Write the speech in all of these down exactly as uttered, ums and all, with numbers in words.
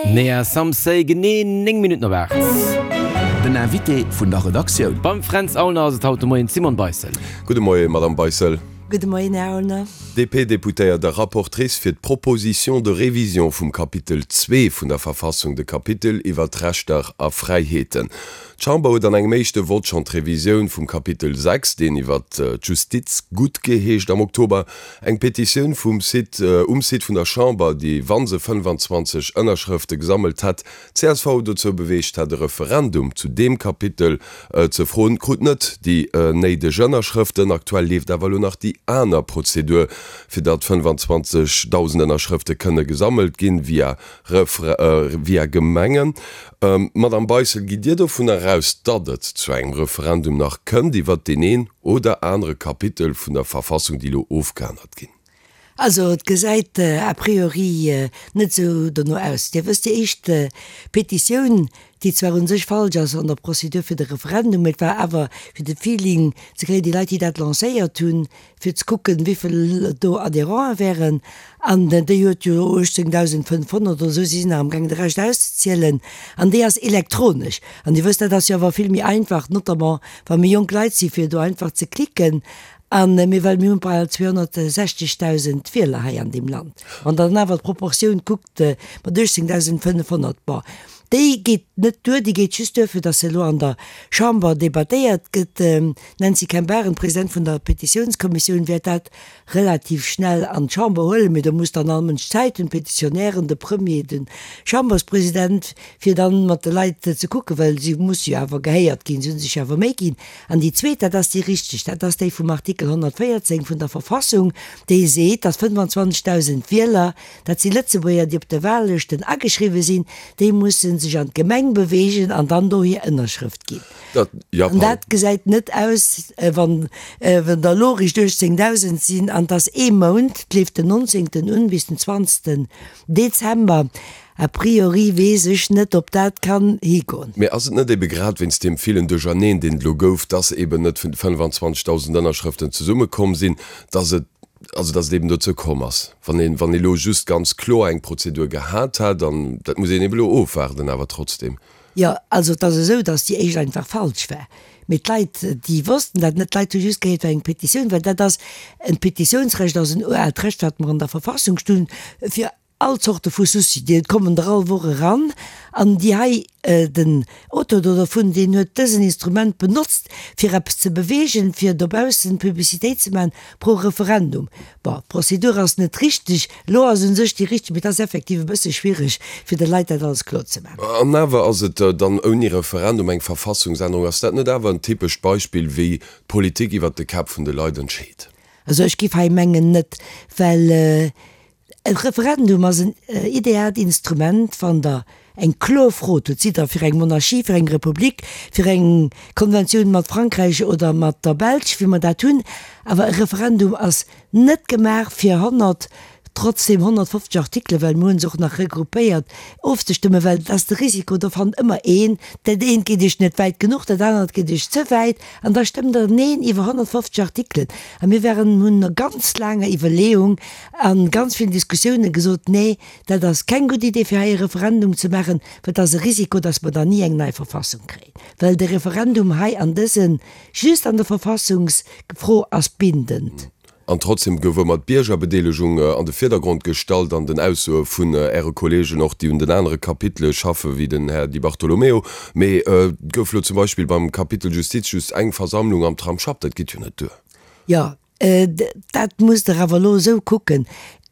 Nea Some Say, genee néng Minutten op aacht. Den Invité vun der Redaktioun. Beim Fränz Aulner ass et haut de Moien d'Simone Beissel. Gudde Moie, Madame Beissel. Gudde Moien, Här Aulner. D P-Deputéiert a Rapportrice fir d'Proposition de révision vum Kapitel zwee vun der Verfassung, de Kapitel iwwer d'Rechter a Fräiheeten. D'Chamber huet an engem éischte Vott schonn d'Revisioun vum Kapitel sechs, deen iwwer d'Justiz guttgeheescht. Am Oktober eng Petitioun vum Site, um Site vun der Chamber, déi, wa se fënnefanzwanzeg Ënnerschrëfte gesammelt hätt, d'C S V dozou beweegt hätt, e Referendum zu deem Kapitel ze froen, krut net déi néideg Ënnerschrëften. Aktuell leeft awer elo nach déi aner Prozedur, fir datt fënnefanzwanzegdausend Ënnerschrëfte kënne gesammelt ginn, via via Gemengen. Madamm Beissel, gitt Dir dovunner aus, datt et zu engem Referendum nach kënnt iwwert deen een oder anere Kapitel vun der Verfassung, déi elo ofgeännert ginn? Also et gesäit a priori net esou dono aus. Dir wësst, déi éischt Petitioun, déi zwar u sech falsch ass an der Procédure fir de Referendum, mee et war awer fir de Feeling ze kréien, déi Leit, déi dat lancéiert hunn, fir ze kucken, wéi vill do Adhérenten wären, an déi huet jo uechtzéngdausendfënnfhonnert oder esou, si sinn nach amgaangen de Rescht auszezielen, an déi ass elektronesch. An Dir wësst, dat ass jo awer vill méi einfach, notamment wa méi jonk Leit si fir do einfach ze klicken. An mee well mir hunn bal zweehonnertsechzegdausend Wieler hei an deem Land. Wann Der dann awer d'Proportioun kuckt mat uechtzéngdausendfënnfhonnert, bon, déi geet net duer, déi geet just duer, fir datt se elo an der Chamber debattéiert gëtt. D'Nancy Campbaren, President vun der Petitiounskommissioun, wäert dat relativ schnell an d'Chamber huelen, mee do muss dann all Mënsch Zäit hunn, d'Petitionären, de Premier, de Chamberspresident, fir dann mat de Leit ze kucken, well si musse jo awer gehéiert ginn, si hu sech jo awer Méi ginn. An déi zweet, dat ass déi richteg, dat ass déi vum Artikel honnertvéierzéng vun der Verfassung, déi seet, dass fënnefanzwanzegdausend Wieler, dat si Lëtzebuerger, déi op de Wahllëschten ageschriwwen sinn, déi musse sech an d'Gemeng beweegen an dann do hir Ënnerschrëft ginn. Dat, ja, An dat gesäit net aus, wann der elo eréischt uechtzéngdausend sinn, an et ass ee Mount, et leeft den nonzéngten un bis den zwanzegsten Dezember. A priori weess ech net, ob dat kann higoen. Mee ass et net ebe grad wéinst deem villen Duercherneen, deen et elo gouf, dass eben net fënnefanzwanzegdausend Ënnerschrëften zesummekomm sinn, dass et, also dass et eben dozou komm ass? Wann een, wann ee elo just ganz kloer eng Prozedur gehat hätt, an dat muss een eben elo ofwaarden, awer trotzdem. Jo, also et ass esou, dass déi éischt einfach falsch war. Mee d'Leit, déi wossten dat net. D'Leit hu just gehéiert, et war eng Petitioun, well dat ass en Petitiounsrecht ass en uraalt Recht, wat mer an der Verfassung stoen, fir all Zorte vu Souci. Déi kommen der all Woch eran. An déi hei, den Auteur do dervun, deen huet dësen Instrument benotzt, fir eppes ze beweegen, fir dobaussen Publicitéit ze maachen pro Referendum. Bon, d'Prozedur ass net richteg. Elo ass u sech déi richteg, mee et ass effektiv e bësse schwiereg, fir de Leit dat alles kloer ze maachen. An awer ass et dann ouni Referendum eng Verfassungsännerung. Ass dat net awer en typescht Beispill, wéi d'Politik iwwert de Käpp vun de Leit entscheet? Also ech géif hei mengen net, well e Referendum ass en ideaalt Instrument, wann Der eng kloer Fro hutt, Sidd Der fir eng Monarchie, fir eng Republik, fir eng Konventioun mat Frankräich oder mat der Belsch, wéi mer dat hunn? Awer e Referendum ass net gemaach fir honnert, trotzdem honnertfofzeg Artikelen, well mir hu se och nach regroupéiert, ofzestëmmen, well et ass de Risiko, do fannt ëmmer een, dat eent geet Iech net wäit genuch, dat anert geet Iech ze wäit, an da stëmmt Der Neen iwwer honnertfofzeg Artikelen. A mir waren, hunn no ganz laanger Iwwerleeung a ganz villen Diskussiounen gesot, Nee, dat ass keng gutt Idee, fir hei e Referendum ze maachen, well et ass e Risiko, dass mer dann ni eng nei Verfassung kréien, well de Referendum hei an dësen, just an der Verfassungsfro ass bindend. An trotzdem gouf ëmmer d'Biergerbedeelegung an de Virdergrond gestallt an den Aussoe vun Äre Kollegen, och déi un den anere Kapitele schaffen, wéi den Här Di Bartolomeo. Mee et gouf elo zum Beispill beim Kapitel Justiz just eng Versammlung am Tramsschapp. Dat geet jo net duer. Jo, dat musst Der awer elo esou kucken,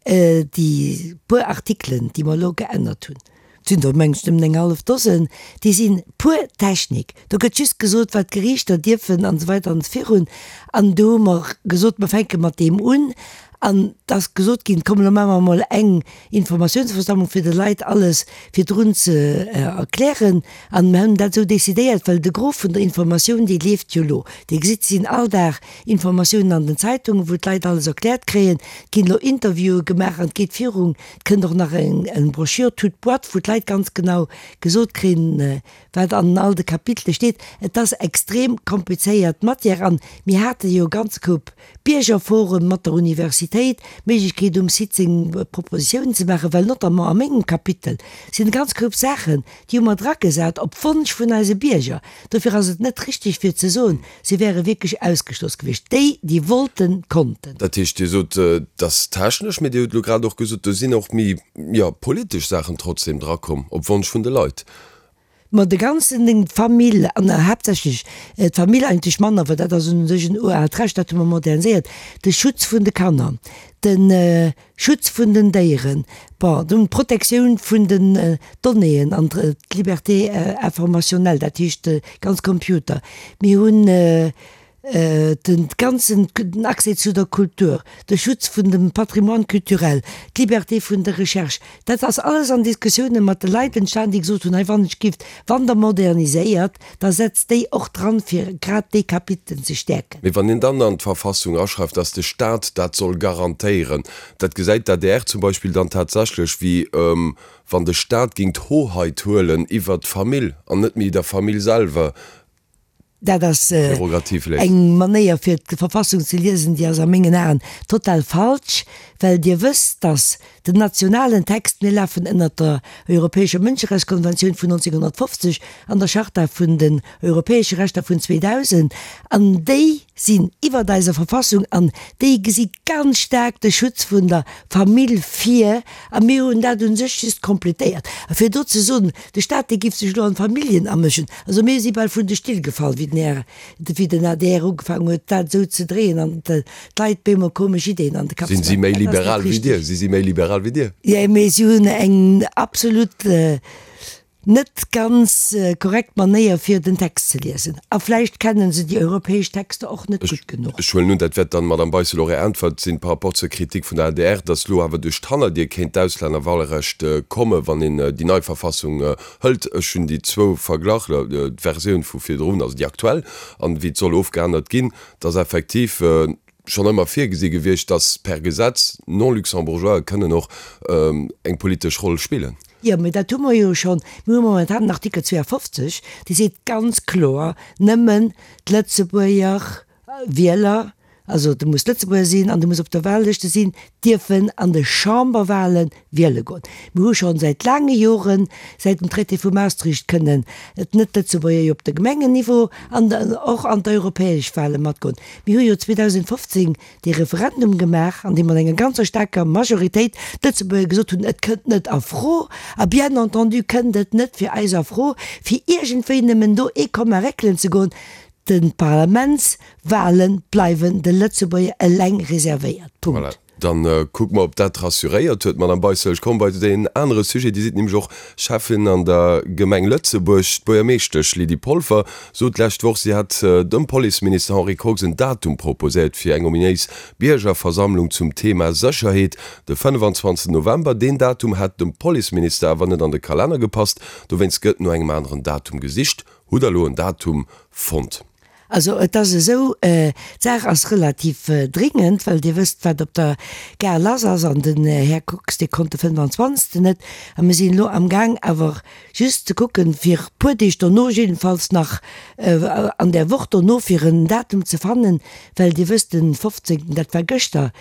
Déi puer Artikelen, déi mer elo geännert hunn, et sinn der mengen ech nëmmen eng hallef Dosen, déi si pur Technik. Do gëtt just gesot, wat d'Geriichter dierfen an esou weider an esou virun. An do hu mer gesot, mer fänke mat deem un. An et ass gesot ginn, komm elo maache mer emol eng Informatiounsversammlung, fir de Leit alles virdrun ze erklären. An mer hunn dat esou decidéiert, well de Gros vun der Informatioun, déi leeft jo elo. Dir gesitt, et sinn all Dag Informatiounen an den Zeitungen, wou d'Leit alles erkläert kréien. Et ginn elo Interviewe gemaach an et geet virun. Et kënnt och nach eng Broschür toute boîte, wou d'Leit ganz genau gesot kréien, wat an all de Kapitele steet. Et ass extrem komplizéiert Matière an mir hate jo e ganze Koup Biergerforen mat der Universitéit. Diversitéit, d'Méiglechkeet um Site seng Propositiounen ze maachen, well notamment a mengem Kapitel sinn e ganz Koup Saachen, déi hu mer dragesat op Wonsch vun eise Bierger. Dofir ass et net richtig fir ze soen, si wäre wierklech ausgeschloss gewiescht. Déi, déi wollten, konnten. Dat heescht, Dir sot, et ass technesch, mee Dir hutt elo grad och gesot, do sinn och méi, jo, politesch Saachen trotzdem drakomm, op Wonsch vun de Leit. Ma de ganzen Ding, d'Famill, an haaptsächlech d'Famill eigentlech manner, well dat ass un sech en uraalt Recht, dat hu mer moderniséiert, de Schutz vun de Kanner, de Schutz vun den Déieren, bon, dunn d'Protektioun vun den Donnéeën an d'Liberté informationnelle, dat heescht de ganz Computer. Mir hunn de ganzen den Accès zu der Kultur, de Schutz vun dem Patrimoine culturel, d'Liberté vun der Recherche, dat ass alles an Diskussiounen mat de Leit entstan, déi gesot hunn, hei wann ech gift, wann Der moderniséiert, da setzt déi och dran, fir grad déi Kapiteln ze stäerken. Mee wann een dann an d'Verfassung aschreift, dass de Stat dat soll garantéieren, dat gesäit d'ADR zum Beispill dann tatsächlech wéi wann de Stat géing d'Hoheit huelen iwwert d'Famill an net méi der Famill selwer Dat ass eng Manéier fir d'Verfassung ze liesen, déi ass a mengen Aen total falsch, well Dir wësst, dass den nationalen Text, mir lafen ënnert der Europäescher Mënscherechtskonventioun vun neunzehnhundertfofzeg an der Charta vun den europäesche Rechter vun zweedausend, an déi sinn iwwert eiser Verfassung an déi gesi ganz staark de Schutz vun der Famill vir, a mir hunn dat u sech just completéiert. A fir do ze soen, de Stat dee giff sech elo an d'Familljen amëschen, also mir si bal vun de Still gefall, wéi den Här, wéi den adr ugefaangen huet, dat esou ze dréien an d'Leit bemol komesch Ideen an de Kapp ze maachen. Sinn si méi liberal wéi Dir? Si si méi liberal wéi Dir? Jo, mee si hunn eng absolut net ganz korrekt Manéier fir den Text ze liesen. A vläicht kennen se déi europäesch Texter och net gutt genuch. Ech huelen un, dat wäert dann, Madame Beissel, och Är Äntwert sinn par rapport zur Kritik vun der adr, datt elo awer duerch d'Hannerdier kéint d'Auslännerwahlrecht kommen, wann een déi nei Verfassung hëlt. Ech hunn déi zwou verglach, d'Versioun vu virdrun, also déi aktuell, an wéi et soll ofgeännert ginn. Et ass effektiv schonn ëmmer virgesi gewiescht, datt per Gesetz Non-Luxembourgeoise kënnen och eng politesch Roll spillen. Jo, mee dat hu mer jo schonn. Mir hu momentan den Artikel zweeafofzeg, dee seet ganz kloer, nëmmen d'Lëtzebuerger Wieler, also du muss Lëtzebuerger sinn an du muss op der Wahllëschte sinn, dierfen an de Chamberwahle wiele goen. Mir hu schonn säit laange Joren, säit dem Traité vu Maastricht, kënnen d'Net-Lëtzebuerger jo op de Gemengenniveau an och an d'europäesch Wahle matgoen. Mir hu jo zweedausendfofzéng dee Referendum gemaach, an deem mat enger ganzer staarker Majoritéit d'Lëtzebuerger gesot hunn, et kënnt net a Fro, a bien entendu kënnt et net fir eis a Fro, fir iergendwéi nëmmen do ee Komma réckelen ze goen. D'Parlamentswahlen bleiwen de Lëtzebuerger eleng reservéiert. Punkt. Voilà, dann kucke mer, ob dat rassuréiert huet, Madame Beissel. Ech komme bei deen anere Sujet. Dir sidd nämlech och Schäffin an der Gemeng Lëtzebuerg. D'Buergermeeschtesch Lydie Polfer sot d'lescht Woch, si hätt dem Policeminister Henri Kox en Datum proposéiert fir eng ominéis Biergerversammlung zum Thema Sécherheet, de fënnefanzwanzegsten November. Deen Datum hätt dem Policeminister awer net an de Kalenner gepasst. Dowéinst gëtt no engem aneren Datum gesicht. Hutt Der elo en Datum fonnt? Also et ass esou, d'Saach ass relativ dringend, well Dir wësst, wat op der Gare lass ass, an den Här Kox, dee konnt de fënnefanzwanzegsten net. A mir sinn elo amgaang awer just ze kucken, fir e puer Deeg dono, jiddefalls nach an där Woch dono, fir en Datum ze fannen, well Dir wësst, de fofzéngten, dat war gëschter,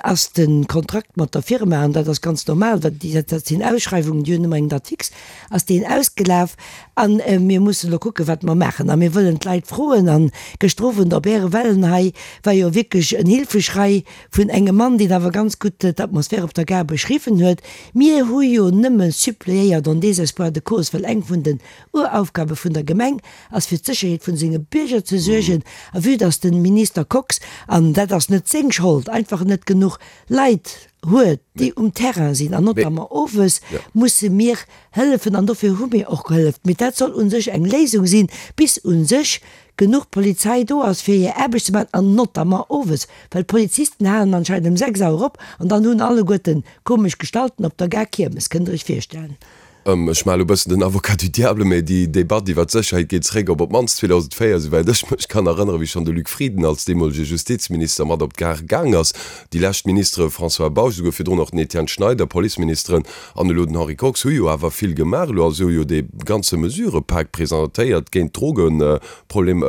ass de Kontrakt mat der Firma, an dat ass ganz normal, well dat sinn Ausschreiwungen, déi hunn ëmmer eng Date fixe, ass deen ausgelaf. A mir mussen elo kucken, wat mer maachen. A mir wëllen d'Leit froen. A gëschter Owend op Äre Wellen hei war jo wierklech en Hilfeschrei vun engem Mann, deen awer ganz gutt d'Atmosphär op der Gare beschriwwen huet. Mir hu jo nëmme suppléiert en désespoir de cause, well eng vun den Uraufgabe vun der Gemeng ass, fir d'Sécherheet vun senge Bierger ze suergen. A vue dass de Minister Kox, an dat ass net seng Schold, einfach net genuch Leit huet, déi um Terrain sinn, an notamment owes, musse mir hëllefen an dofir hu mir och gehëlleft. Mee dat soll u sech eng Léisung sinn, bis u sech genuch Polizei do ass, fir hir Aarbecht ze maachen, an notamment owes, well d'Polizisten halen anscheinend ëm sechs Auer op an dann hunn alleguerten komesch Gestalten op der Gare Kiermes, kënnt Der Iech virstellen. Ech maache lo e bëssen den Avocat du diable, mee déi Debatt iwwer d'Sécherheet geet zeréck op op d'mannst zweedausendvéier, esouwäit ech mech kann erënneren, wéi schonn de Luc Frieden als deemolege Justizminister mat op d'Gare gaang ass. Déi lescht Ministere François Bausch, esouguer virdrun och den Etienne Schneider, Policeministeren, an elo den Henri Kox hu jo awer vill gemaach. Elo ass jo dee ganze Mesurëpak presentéiert géint d'Drogeproblem,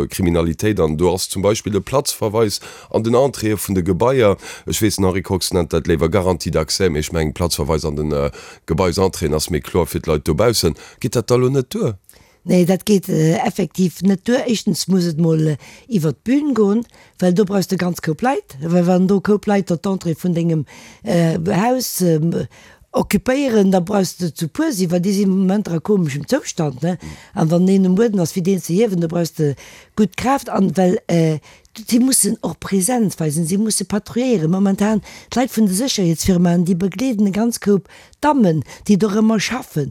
Kriminalitéit an do ass zum Beispill de Platzverweis an den Entréeë vun de Gebaier. Ech weess, den Henri Kox nennt dat léiwer Garantie d'accès, mee ech mengen Platzverweis an den Gebaisentréeën ass méi kloer fir d'Leit dobaussen. Geet dat da lo net duer? Nee, dat geet effektiv net duer. Éischtens muss et mol iwwert d'Bün goen, well do brauchs de ganz Koup Leit. Well wann do Koup Leit der d'Entrée vun dengem Haus occupéieren, da brauchs de zu puer sinn, well déi sinn am Moment a komeschem Zoustand, ne? An wann een um Buedem ass, fir deen ze hiewen, do brauchs de gutt Kraaft. An well si mussen och Präsenz weisen, si musse patrouilléieren. Momentan, d'Leit vun de Sécherheetsfirmaen, déi begleeden e ganz Koup Dammen, déi dorëmmer schaffen,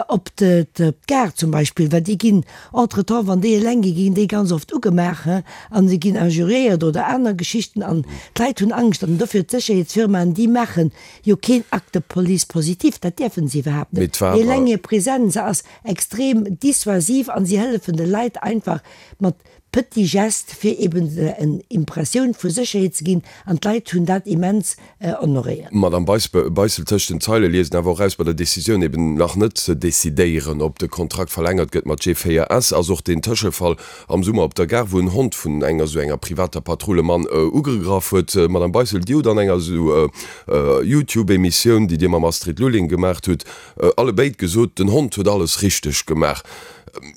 op d'Gare zum Beispill, well déi ginn entretemps, wann déi eleng ginn, ginn déi ganz oft ugemaach, hein, a se ginn injuriéiert oder aner Geschichten an d'Leit hunn Angscht. An dofir d'Sécherheetsfirmaen, déi maache jo keen Acte de police positif, dat däerfe se iwwerhaapt net. Mee eleng hir Presenz ass extrem dissuasiv an si hëllefen de Leit einfach mat petits gestes, fir eben en Impressioun vu Sécherheet ze ginn, an d'Leit hunn dat immens honoréiert. Madame Beissel, tëscht den Zeile liest een awer och eraus, bei der Decisioun eben nach net ze decidéieren, ob de Kontrakt verlängert gëtt mat G véier S, ass och deen Tëschefall am Summer op der Gare, wou en Hond vun enger esou enger privater Patrull e Mann ugegraff huet. Madame Beissel, Dir hutt an enger esou YouTube-Emissioun, déi Dir mam Astrid Lulling gemaacht hutt, allebéid gesot, den Hond huet alles richteg gemaach.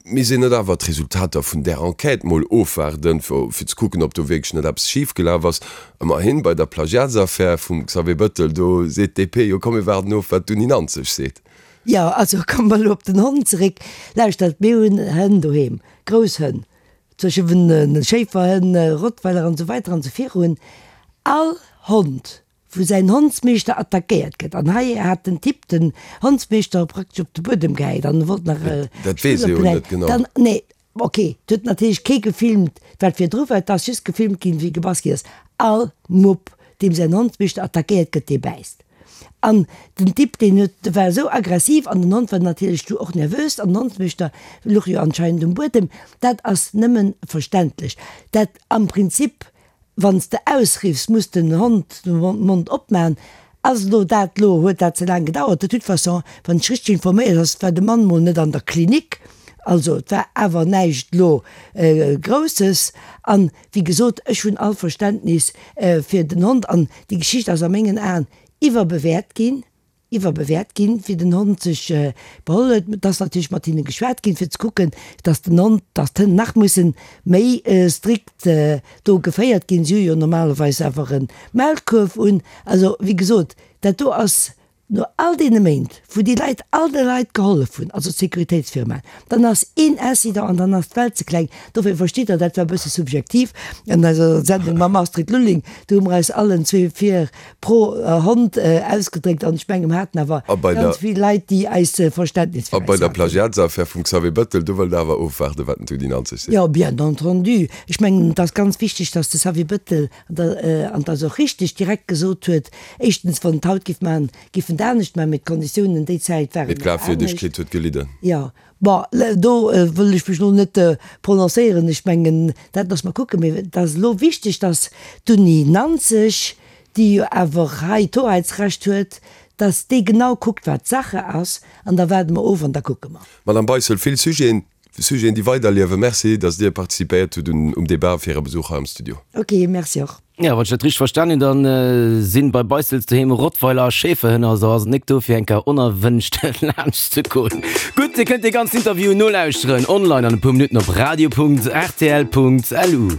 Misst een net awer d'Resultater vun där Enquête mol ofwaarden, fir ze kucken, ob do wierklech net eppes schif gelaf ass? Ëmmerhin, bei der Plagiatsaffär vum Xavier Bëttel, do seet d'DP jo, komm mir waarden of, wat d'Uni Nanzeg seet. Jo, also komme mer elo op den Hond zeréck. Lauschtert, mir hunn Hënn doheem, grouss Hënn, zwëschen Schéiferhënn, Rottweiler an esou weider an esou virun. All Hond wou säin Hondsmeeschter attackéiert gëtt, an hei hat den Typ den Hondsmeeschter praktesch op de Buedem gehäit an wollt nach e Dat weess ee jo net genau. Dann, nee, ok, et huet natierlech kee gefilmt, wat virdru war, et ass just gefilmt ginn, wéi gebass ginn ass. All Mupp, deem säin Hondsmeeschter attackéiert gëtt, dee bäisst. An den Typ, deen huet, war esou aggressiv an den Hond war natierlech du och nervös an den Hondsmeeschter luch jo anscheinend um Buedem. Dat ass nëmmen verständlech. Dat am Prinzip Wann s de ausriffs, muss den Hond de Mond opmaen. Ass elo dat elo, huet dat ze laang gedauert? De toute façon, wann ech richteg informéiert ass, war de Mann mol net an der Klinik. Also et war awer näischt elo Grousses. An, wéi gesot, ech hunn all Verständnis fir den Hond. An déi Geschicht ass a mengen Aen iwwerbewäert ginn. Iwwerbewäert ginn, wéi den Hond sech beholl huet. Et ass natierlech mat hinne geschwat ginn, fir ze kucken, dass den Hond, dass d'Hënn nach mussen méi strikt do geféiert ginn. Si hu jo normalerweis awer e Maulkuerf un. Also, wéi gesot, dat do ass no all deene Méint, wou déi Leit all de Leit gehollef hunn, also d'Sécuritéitsfirmaen, dann ass een Incident an dann ass d'Welt ze kleng. Dofir verstitt Der, dat war e bësse subjektiv an eiser Sendung mam Astrid Lulling, do hu mer eis allen zwee fir pro Hond ausgedréckt an ech mengen, mer haten awer ganz vill Leit, déi eis Verständnis fir eis haten. A bei der Plagiatsaffär vum Xavier Bettel, do wëllt Der awer ofwaarden, wat den Tudi Nanzeg seet? Jo, bien entendu. Ech mengen, et ass ganz wichteg, dass de Xavier Bettel, an et ass och richtig, direkt gesot huet, éischtens, wann et haut géif maachen, géif en et anescht maachen, mee d'Konditiounen déi Zäit waren Mee nach anescht. D'Glafwierdegkeet huet gelidden. Jo. Bon, do wëll ech mech elo net prononcéieren. Ech mengen, dat loosse mer kucken. Mee et ass elo wichteg, dass d'Uni Nanzeg, déi jo awer hei d'Hoheitsrecht huet, dass déi genau kuckt, wat Sache ass. An da waarde mer of an da kucke mer. Madame Beissel, vill Sujeten, Sujeten, déi weiderliewen. Merci, dass Dir participéiert hutt um Debat a fir Äre Besuch hei am Studio. Ok, merci och. Jo, wann ech dat richteg verstan hunn, dann sinn bei Beissels doheem Rottweiler a Schäferhënn, also ass et nik do fir eng Kéier onerwënscht laanscht ze goen. Gutt, Dir kënnt dee ganzen Interview nolauschteren online an e puer Minutten op radio punkt rtl punkt lu.